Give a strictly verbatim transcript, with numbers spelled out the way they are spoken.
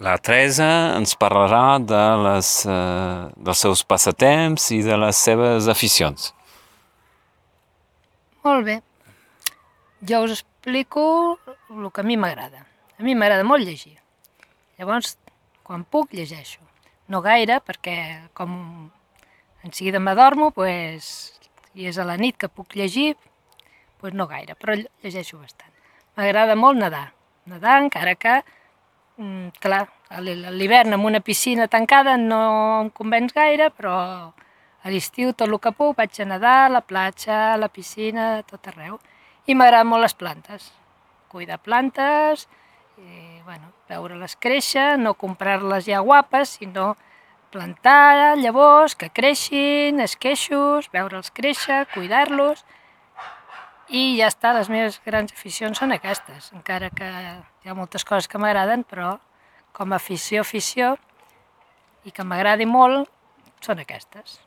La Teresa ens parlarà de les, eh, dels seus passatemps i de les seves aficions. Molt bé. Jo us explico el que a mi m'agrada. A mi m'agrada molt llegir. Llavors, quan puc, llegeixo. No gaire, perquè com en seguida m'adormo, pues, i és a la nit que puc llegir, pues no gaire, però llegeixo bastant. M'agrada molt nedar. Nedar, encara que, mm, clar, a l'hivern amb una piscina tancada no em convenç gaire, però a l'estiu tot el que puc vaig a nedar, a la platja, a la piscina, a tot arreu. I m'agraden molt les plantes. Cuidar plantes, i, bueno, veure-les créixer, no comprar-les ja guapes, sinó plantar llavors, que creixin, esqueixos, veure'ls créixer, cuidar-los, i ja està, les meves grans aficions són aquestes, encara que hi ha moltes coses que m'agraden, però com a afició, afició, i que m'agradi molt, són aquestes.